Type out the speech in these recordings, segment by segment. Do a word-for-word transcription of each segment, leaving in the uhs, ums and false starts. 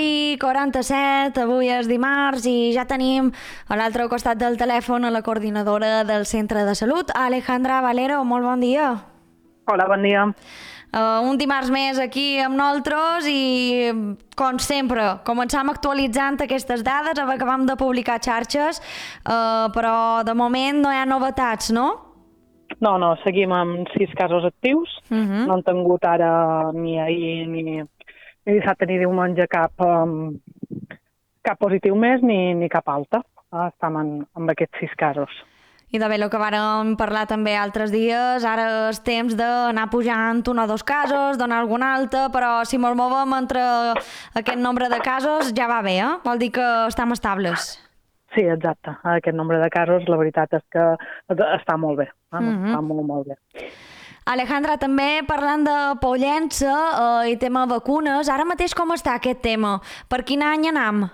i quaranta-set, avui és dimarts i ja tenim a l'altre costat del telèfon a la coordinadora del Centre de Salut, Alejandra Valero. Molt bon dia. Hola, bon dia. Uh, un dimarts més aquí amb nosaltres i, com sempre, començam actualitzant aquestes dades. Acabam de publicar xarxes, uh, però de moment no hi ha novetats, no? No, no, seguim amb sis casos actius. Uh-huh. No han tingut ara ni ahir ni, ni dissabte ni diumenge cap, um, cap positiu més ni, ni cap alta. Ah, estem en, amb aquests sis casos. I de bé, el que vàrem parlar també altres dies, ara és temps d'anar pujant un o dos casos, donar alguna alta, però si ens movem entre aquest nombre de casos ja va bé, eh? Vol dir que estem estables. Sí, exacte. Aquest nombre de casos, la veritat és que està molt bé. Eh? Uh-huh. Està molt, molt bé. Alejandra, també parlant de Pollença eh, i tema vacunes, ara mateix com està aquest tema? Per quin any anam?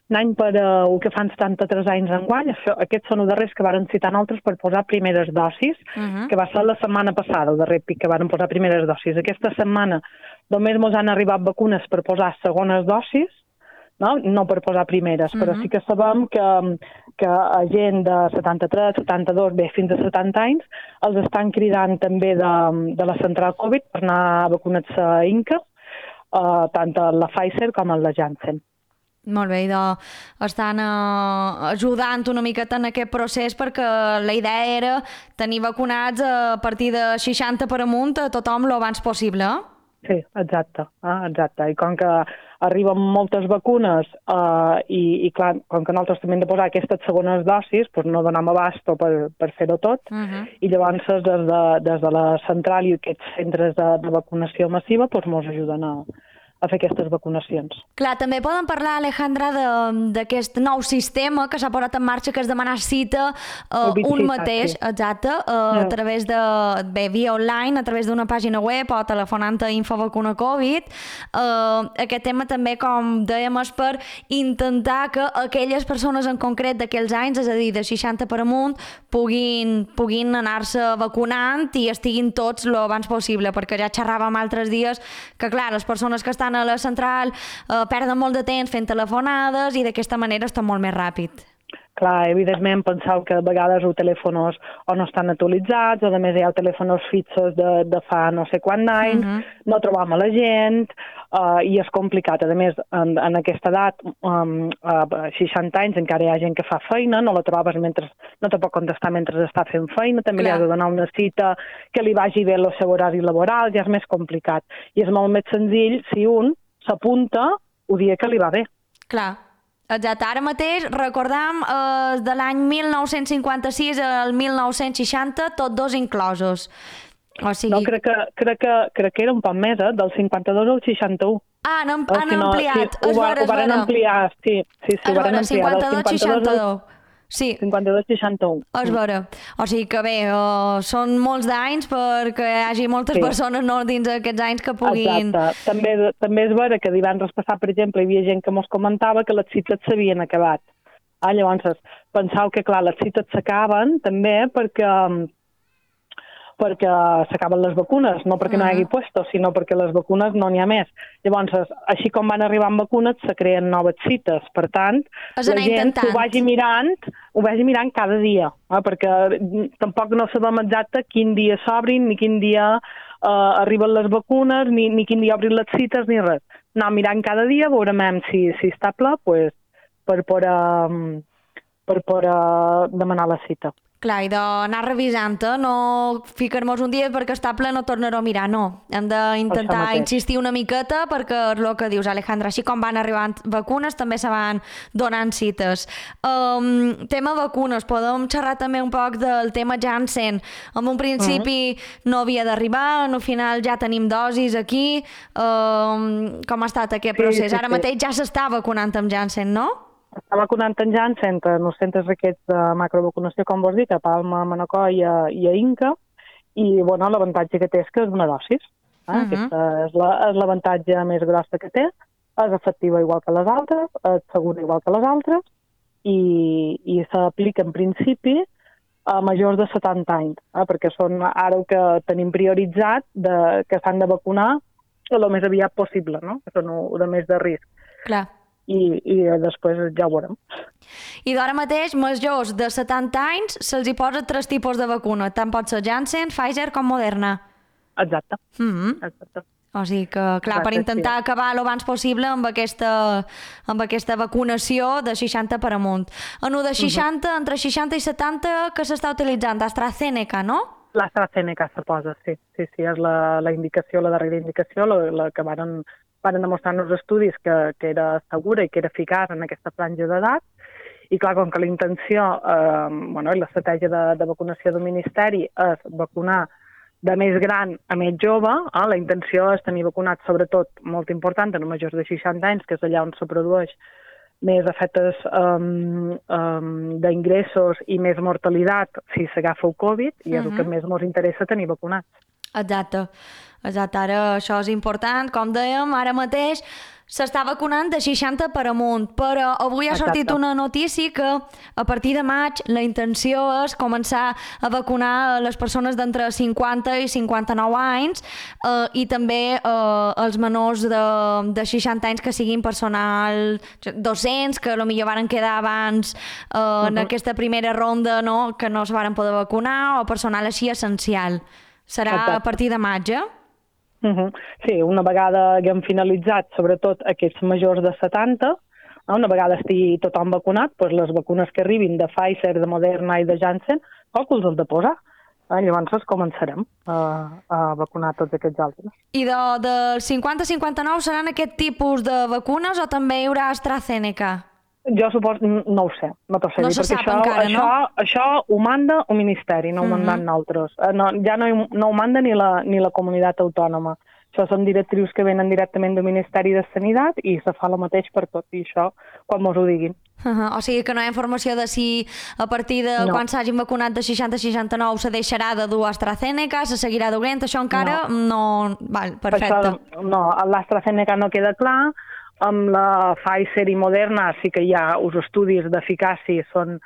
Un any per uh, el que fan setanta-tres anys enguany. Aquests són els darrers que varen citar nosaltres per posar primeres dosis, uh-huh. que va ser la setmana passada, el darrer pic que varen posar primeres dosis. Aquesta setmana només ens han arribat vacunes per posar segones dosis, no, no per posar primeres, uh-huh. però sí que sabem que, que a gent de setanta-tres, setanta-dos, bé, fins a setanta anys, els estan cridant també de, de la central Covid per anar a vacunar-se a Inca, uh, tant a la Pfizer com a la Janssen. Molt bé, idò, estan uh, ajudant una miqueta en aquest procés perquè la idea era tenir vacunats a partir de seixanta per amunt a tothom lo abans possible, eh? Sí, exacte, ah, exacte. I com que arriben moltes vacunes eh, i, i clar, com que nosaltres també hem de posar aquestes segones dosis, doncs no donem abasto per, per fer-ho tot, uh-huh. i llavors des de, des de la central i aquests centres de, de vacunació massiva doncs ens ajuden a, a fer aquestes vacunacions. Clar, també poden parlar, Alejandra, d'aquest nou sistema que s'ha posat en marxa, que és demanar cita uh, un mateix, sí. exacte, uh, yeah. a través de, bé, via online, a través d'una pàgina web o telefonant a Infovacuna Covid. Uh, aquest tema també, com dèiem, és per intentar que aquelles persones en concret d'aquells anys, és a dir, de seixanta per amunt, puguin, puguin anar-se vacunant i estiguin tots lo abans possible, perquè ja xerràvem altres dies que, clar, les persones que estan a la central eh, perden molt de temps fent telefonades i d'aquesta manera està molt més ràpid. Clar, evidentment penseu que a vegades els telèfons o no estan actualitzats o a més hi ha telèfons fixos de, de fa no sé quant anys, uh-huh. no trobam a la gent uh, i és complicat. A més, en, en aquesta edat, um, a seixanta anys encara hi ha gent que fa feina, no la trobes mentre, no te pot contestar mentre està fent feina, també Clar. Li has de donar una cita que li vagi bé el seu horari laboral, ja és més complicat. I és molt més senzill si un s'apunta el dia que li va bé. Clar. Exacte, ara mateix recordam eh, de l'any mil nou-cents cinquanta-sis al mil nou-cents seixanta, tots dos inclosos. O sigui... No, crec que, crec, que, crec que era un poc més, eh? Del cinquanta-dos al seixanta-u. Ah, han, o han si no, ampliat, sí, és vera, és vera. Ho van ampliar, sí, sí, sí, ho van ampliar. cinquanta-dos seixanta-dos. Sí. cinquanta-dos seixanta-u. És vera. O sigui que bé, uh, són molts d'anys perquè hi hagi moltes sí. persones no, dins aquests anys que puguin... Exacte. També, també és vera que divendres passat, per exemple, hi havia gent que mos comentava que les cites s'havien acabat. Ah, llavors, penseu que, clar, les cites s'acaben també perquè... perquè s'acaben les vacunes, no perquè uh-huh. no hi hagi puestos, sinó perquè les vacunes no n'hi ha més. Llavors, així com van arribar amb vacunes, se creen noves cites. Per tant, la gent intentant. ho vagi mirant, ho vagi mirant cada dia, eh? Perquè tampoc no sabem exacte quin dia s'obrin, ni quin dia eh, arriben les vacunes, ni, ni quin dia obrin les cites, ni res. Anar mirant cada dia, veurem si, si està ple, pues, per poder, per poder demanar la cita. Clar, i d'anar revisant-te, no ficar-nos un dia perquè està ple no tornar-ho a mirar, no. Hem d'intentar insistir una miqueta perquè és el que dius, Alejandra, així com van arribant vacunes també se van donant cites. Um, tema vacunes, podem xerrar també un poc del tema Janssen. En un principi uh-huh. no havia d'arribar, al final ja tenim dosis aquí. Um, com ha estat aquest procés? Sí, sí, Ara mateix ja s'està vacunant amb Janssen, no? Està vacunant en Janssen en els centres aquests de macrovacunació, com vos dic, a Palma, a Manacor i a, i a Inca, i bueno, l'avantatge que té és que és una dosis. Eh? Uh-huh. Aquesta és, la, és l'avantatge més grossa que té, és efectiva igual que les altres, és segura igual que les altres, i, i s'aplica en principi a majors de setanta anys, eh? perquè són ara el que tenim prioritzat de, que s'han de vacunar el més aviat possible, no? Que són de més de risc. Clar. I, i després ja ho veurem. I d'ara mateix, majors de setanta anys, se'ls hi posa tres tipus de vacuna. Tant pot ser Janssen, Pfizer com Moderna. Exacte. Mm-hmm. Exacte. O sigui que, clar, per intentar sí. acabar el abans possible amb aquesta, amb aquesta vacunació de seixanta per amunt. En el de seixanta, uh-huh. entre seixanta i setanta, que s'està utilitzant? AstraZeneca, no? L'AstraZeneca se posa, sí. Sí, sí, és la, la indicació, la darrera indicació, la, la que varen, varen demostrar en els estudis que, que era segura i que era eficaç en aquesta franja d'edat. I clar, com que la intenció, eh, bueno, i l'estratègia de, de vacunació del Ministeri és vacunar de més gran a més jove, eh? La intenció és tenir vacunats, sobretot, molt important, en majors de seixanta anys, que és allà on se produeix més efectes um, um, d'ingressos i més mortalitat si s'agafa el Covid, i és uh-huh. el que més ens interessa tenir vacunats. Exacte. Exacte. Ara això és important. Com dèiem, ara mateix s'està vacunant de seixanta per amunt, però avui ha sortit Exacte. Una notícia que a partir de maig la intenció és començar a vacunar les persones d'entre cinquanta i cinquanta-nou anys eh, i també eh, els menors de, de seixanta anys que siguin personal docents, que potser varen quedar abans eh, uh-huh. en aquesta primera ronda, no? Que no es varen poder vacunar, o personal així essencial. Serà Exacte. A partir de maig, eh? Uh-huh. Sí, una vegada haguem finalitzat, sobretot aquests majors de setanta, no? Una vegada estigui tothom vacunat, doncs les vacunes que arribin de Pfizer, de Moderna i de Janssen, qualcuns els de posar. Eh? Llavors començarem a, a vacunar tots aquests altres. I de, de cinquanta a cinquanta-nou seran aquest tipus de vacunes o també hi haurà AstraZeneca? Jo suposo, no ho sé, no t'ho sé no dir, perquè això, encara, això, no? això ho manda el Ministeri, no ho uh-huh. mandant nosaltres. No, ja no, no ho manda ni la, ni la comunitat autònoma. Això són directrius que venen directament del Ministeri de Sanitat i se fa el mateix per tot, i això quan mos ho diguin. Uh-huh. O sigui que no hi ha informació de si a partir de no. quan s'hagin vacunat de seixanta a seixanta-nou se deixarà de dur AstraZeneca, se seguirà duent, això encara no... no... Val, perfecte. Això, no, l'AstraZeneca no queda clar. Amb la Pfizer i Moderna sí que hi ha uns estudis d'eficàcia, són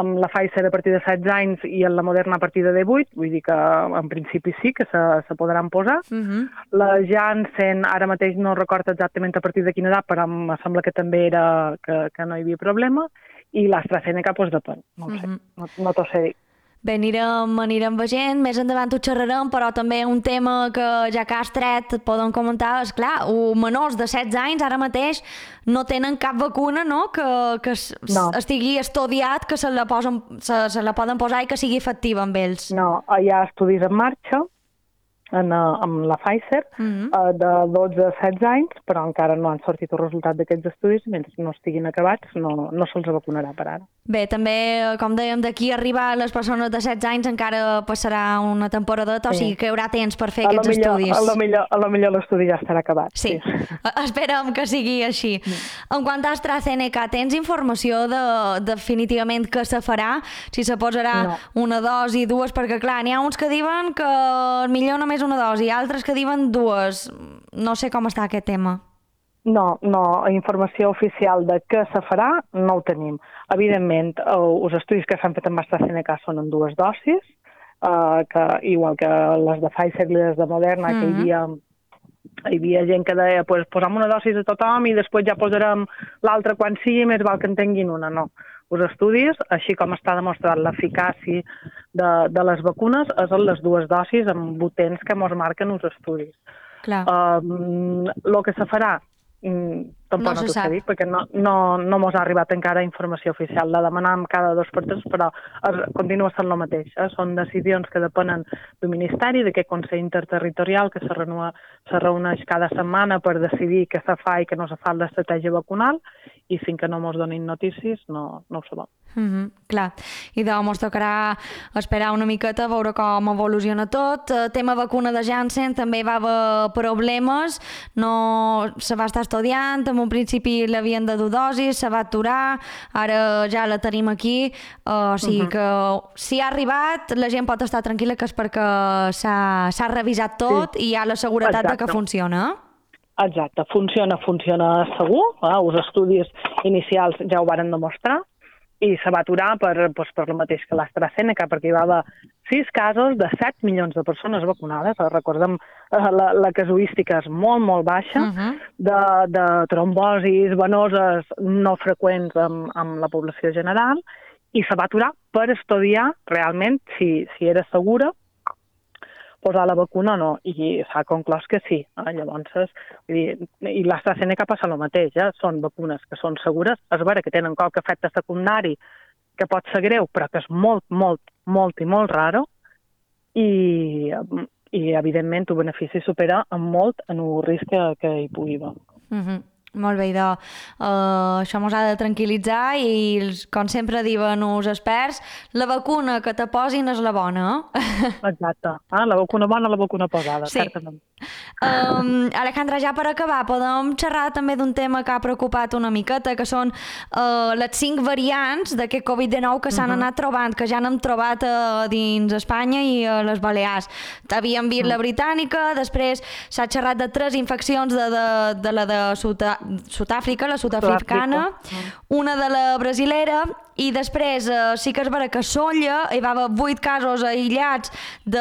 amb la Pfizer a partir de setze anys i amb la Moderna a partir de divuit, vull dir que en principi sí que se, se podran posar. Uh-huh. La Janssen ara mateix no recordo exactament a partir de quina edat, però em sembla que també era que, que no hi havia problema, i l'AstraZeneca doncs depèn, no ho sé, uh-huh. no, no t'ho sé dir. Bé, anirem, anirem veient, més endavant ho xerrarem, però també un tema que ja que has tret podem comentar és, clar, menors de setze anys ara mateix no tenen cap vacuna, no?, que, que no. estigui estudiat, que se la, posen, se, se la poden posar i que sigui efectiva amb ells. No, hi ha estudis en marxa, en, amb la Pfizer, uh-huh. uh, de dotze a setze anys, però encara no han sortit el resultat d'aquests estudis, mentre no estiguin acabats no, no se'ls vacunarà per ara. Bé, també, com dèiem, d'aquí a arribar les persones de setze anys encara passarà una temporadeta, sí. O sigui que hi haurà temps per fer a aquests millor, estudis. A lo millor, a lo millor l'estudi ja estarà acabat. Sí, sí. Esperem que sigui així. Mm. En quant a AstraZeneca, tens informació de definitivament què se farà? Si se posarà no. una dosi, dues, perquè clar, n'hi ha uns que diuen que millor només una dosi, altres que diuen dues. No sé com està aquest tema. No, no, informació oficial de què se farà no ho tenim. Evidentment, els estudis que s'han fet amb AstraZeneca són en dues dosis, eh, que, igual que les de Pfizer i les de Moderna, mm-hmm. que hi havia, hi havia gent que deia pues, posem una dosis a tothom i després ja posarem l'altra quan sigui, més val que en tinguin una. No. Els estudis, així com està demostrat l'eficàcia de, de les vacunes, és en les dues dosis amb potents que ens marquen els estudis. Clar. Um, el que se farà, Mm, tampoc no, no t'ho sé dir, perquè no, no, no mos ha arribat encara informació oficial. La demanàvem cada dos per tres, però es, continua sent el mateix. Eh? Són decisions que depenen del Ministeri, d'aquest Consell Interterritorial que se, renua, se reuneix cada setmana per decidir què se fa i què no se fa l'estratègia vacunal, i fins que no mos donin notícies no, no ho sabem. Mm-hmm, clar, i de mos tocarà esperar una miqueta a veure com evoluciona tot. El tema vacuna de Janssen també va haver problemes, no se va estar estudiant, en un principi l'havien de dur dosis, se va aturar, ara ja la tenim aquí, uh, o sigui uh-huh. que si ha arribat la gent pot estar tranquil·la que és perquè s'ha revisat tot sí. i hi ha la seguretat Exacte. De que funciona. Exacte, funciona, funciona segur, eh? Els estudis inicials ja ho varen demostrar, i se va aturar per, doncs, per el mateix que l'AstraZeneca, perquè hi va haver sis casos de set milions de persones vacunades. Recordem, la, la casuística és molt, molt baixa, uh -huh. de, de trombosis venoses no freqüents amb, amb la població general, i se va aturar per estudiar realment si, si era segura posar la vacuna o no, i s'ha conclòs que sí. Eh? Llavors, vull dir, i l'AstraZeneca passa el mateix, eh? Són vacunes que són segures, és vera que tenen qualque efecte secundari que pot ser greu, però que és molt, molt, molt i molt raro, i, i evidentment, el benefici supera en molt en el risc que, que hi pugui haver. Mm-hmm. Molt bé, idò. Uh, això ens ha de tranquil·litzar i, com sempre diuen els experts, la vacuna que te posin és la bona. Exacte. Ah, la vacuna bona, la vacuna posada, sí. certament. Um, Alejandra, ja per acabar, podem xerrar també d'un tema que ha preocupat una miqueta, que són uh, les cinc variants d'aquest covid dinou que s'han uh -huh. anat trobant, que ja n'hem trobat uh, dins Espanya i a les Balears. Havíem vist uh -huh. la britànica, després s'ha xerrat de tres infeccions de, de, de la de Sud-àfrica, la sud-africana, uh -huh. una de la brasilera, i després eh, sí que és vera que a Sóller hi va haver vuit casos aïllats de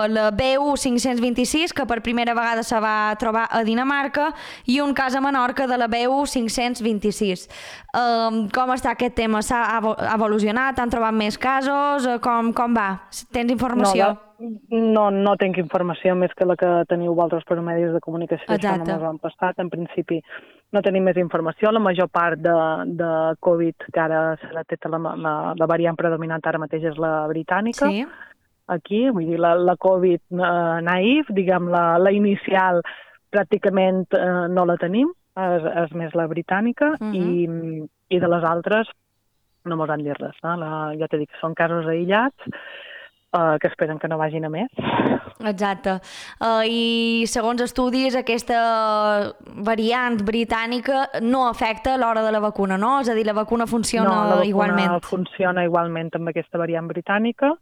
la B U cinc-cents vint-i-sis, que per primera vegada se va trobar a Dinamarca, i un cas a Menorca de la B U cinc-cents vint-i-sis. Um, com està aquest tema? S'ha evolucionat? Han trobat més casos? Com, com va? Tens informació? No, no, no tinc informació més que la que teniu vosaltres per medis de comunicació. Exacte. Això no m'ho han passat. En principi no tenim més informació. La major part de, de Covid que ara se la té la, la, la variant predominant ara mateix és la britànica. Sí. Aquí, vull dir, la, la Covid eh, naïf, diguem, la, la inicial pràcticament eh, no la tenim, és, és més la britànica, uh-huh. i, i de les altres no mos han dit res. Eh? La, ja t'he dit que són casos aïllats, Uh, que esperen que no vagin a més. Exacte. Uh, I segons estudis, aquesta variant britànica no afecta a l'hora de la vacuna, no? És a dir, la vacuna funciona igualment. No, la vacuna igualment. funciona igualment amb aquesta variant britànica,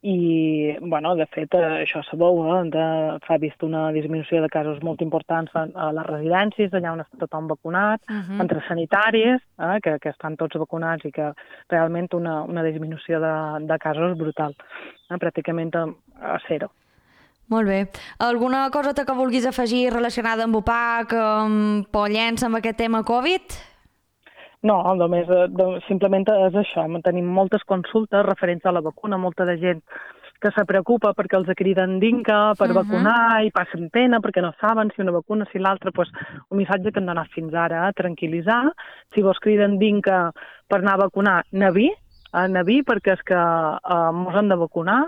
i, bueno, de fet, això sabeu, eh? s'ha vist una disminució de casos molt importants a, a les residències, allà on està tothom vacunat, uh-huh. entre sanitaris, eh? que, que estan tots vacunats, i que realment una, una disminució de, de casos brutal, eh? pràcticament a, a zero. Molt bé. Alguna cosa que vulguis afegir relacionada amb U P A C, amb Pollença, amb aquest tema Covid? No, només, simplement és això. Tenim moltes consultes referents a la vacuna, molta de gent que se preocupa perquè els criden dinca per uh-huh. vacunar i passen pena perquè no saben si una vacuna, si l'altra. Pues, un missatge que hem donat fins ara, eh? tranquil·litzar. Si vos criden dinca per anar a vacunar, nevi, eh? nevi, perquè és que eh, mos han de vacunar,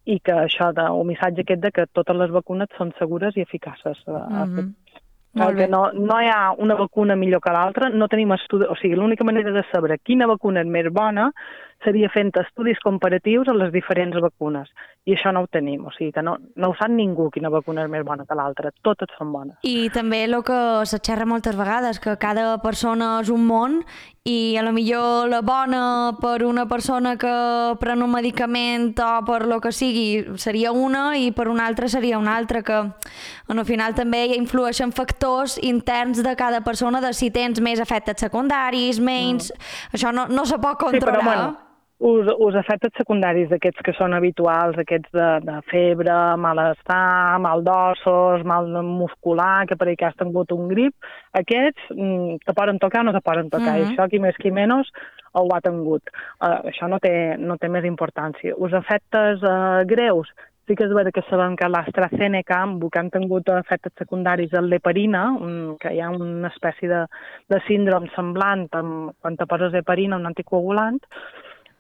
i que això, de, un missatge aquest de que totes les vacunes són segures i eficaces. Uh-huh. Perquè no, no hi ha una vacuna millor que l'altra, no tenim estudis, o sigui, l'única manera de saber quina vacuna és més bona seria fent estudis comparatius a les diferents vacunes, i això no ho tenim, o sigui que no, no ho sap ningú quina vacuna és més bona que l'altra, totes són bones. I també el que se xerra moltes vegades, que cada persona és un món, i a lo millor la bona per una persona que pren un medicament o per lo que sigui seria una, i per una altra seria una altra, que al final també influeixen factors interns de cada persona, de si tens més efectes secundaris, menys, mm. això no, no se pot controlar. Sí, però bueno, us, us efectes secundaris d'aquests que són habituals, aquests de, de febre, malestar, mal d'ossos, mal muscular, que per ahir que has tingut un grip, aquests mm, te poden tocar o no te poden tocar, mm-hmm. i això qui més qui menys ho ha tingut. Uh, això no té, no té més importància. Us efectes uh, greus, sí que és vera que sabem que l'AstraZeneca, que han tingut efectes secundaris a l'heparina, un, que hi ha una espècie de, de síndrome semblant amb, quan te poses heparina, un anticoagulant,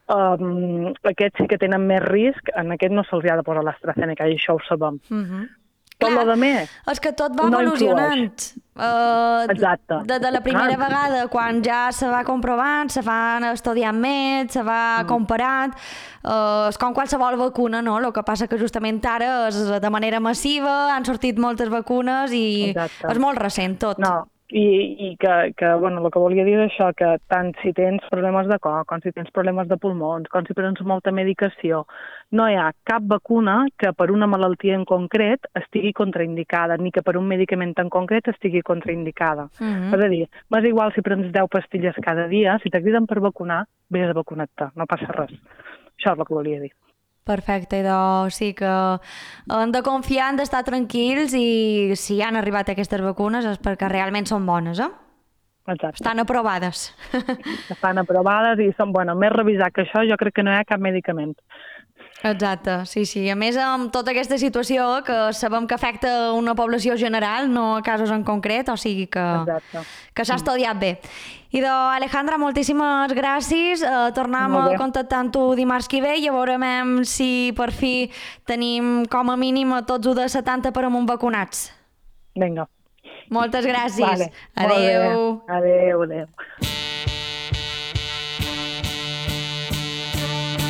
um, aquests sí que tenen més risc, en aquest no se'ls ha de posar l'AstraZeneca, i això ho sabem. Mm-hmm. Tot Clar, lo de més és que tot va no evolucionant. Uh, Exacte. De, de la primera ah. vegada, quan ja se va comprovant, se van estudiant més, se va mm. comparant, uh, és com qualsevol vacuna, no? El que passa que justament ara és de manera massiva, han sortit moltes vacunes i Exacte. És molt recent tot. No, I, i que, que, bueno, el que volia dir és això, que tant si tens problemes de cor, com si tens problemes de pulmons, com si prens molta medicació, no hi ha cap vacuna que per una malaltia en concret estigui contraindicada, ni que per un medicament en concret estigui contraindicada. Mm-hmm. És a dir, m'és igual si prens deu pastilles cada dia, si t'acriden per vacunar, vés a vacunar-te, no passa res. Això és el que volia dir. Perfecte, idò, sí que hem de confiar, hem d'estar tranquils i si han arribat aquestes vacunes és perquè realment són bones, eh? Exacte. Estan aprovades. Estan aprovades i són, bueno, més revisat que això, jo crec que no hi ha cap medicament. Exacte, sí, sí. A més, amb tota aquesta situació que sabem que afecta una població general, no a casos en concret, o sigui que, que s'ha estudiat bé. I de Alejandra, moltíssimes gràcies. Uh, tornem a contactar amb tu dimarts que ve i a veurem si per fi tenim com a mínim a tots u de setanta per amunt vacunats. Vinga. Moltes gràcies. Vale. Adéu. Adéu, adéu.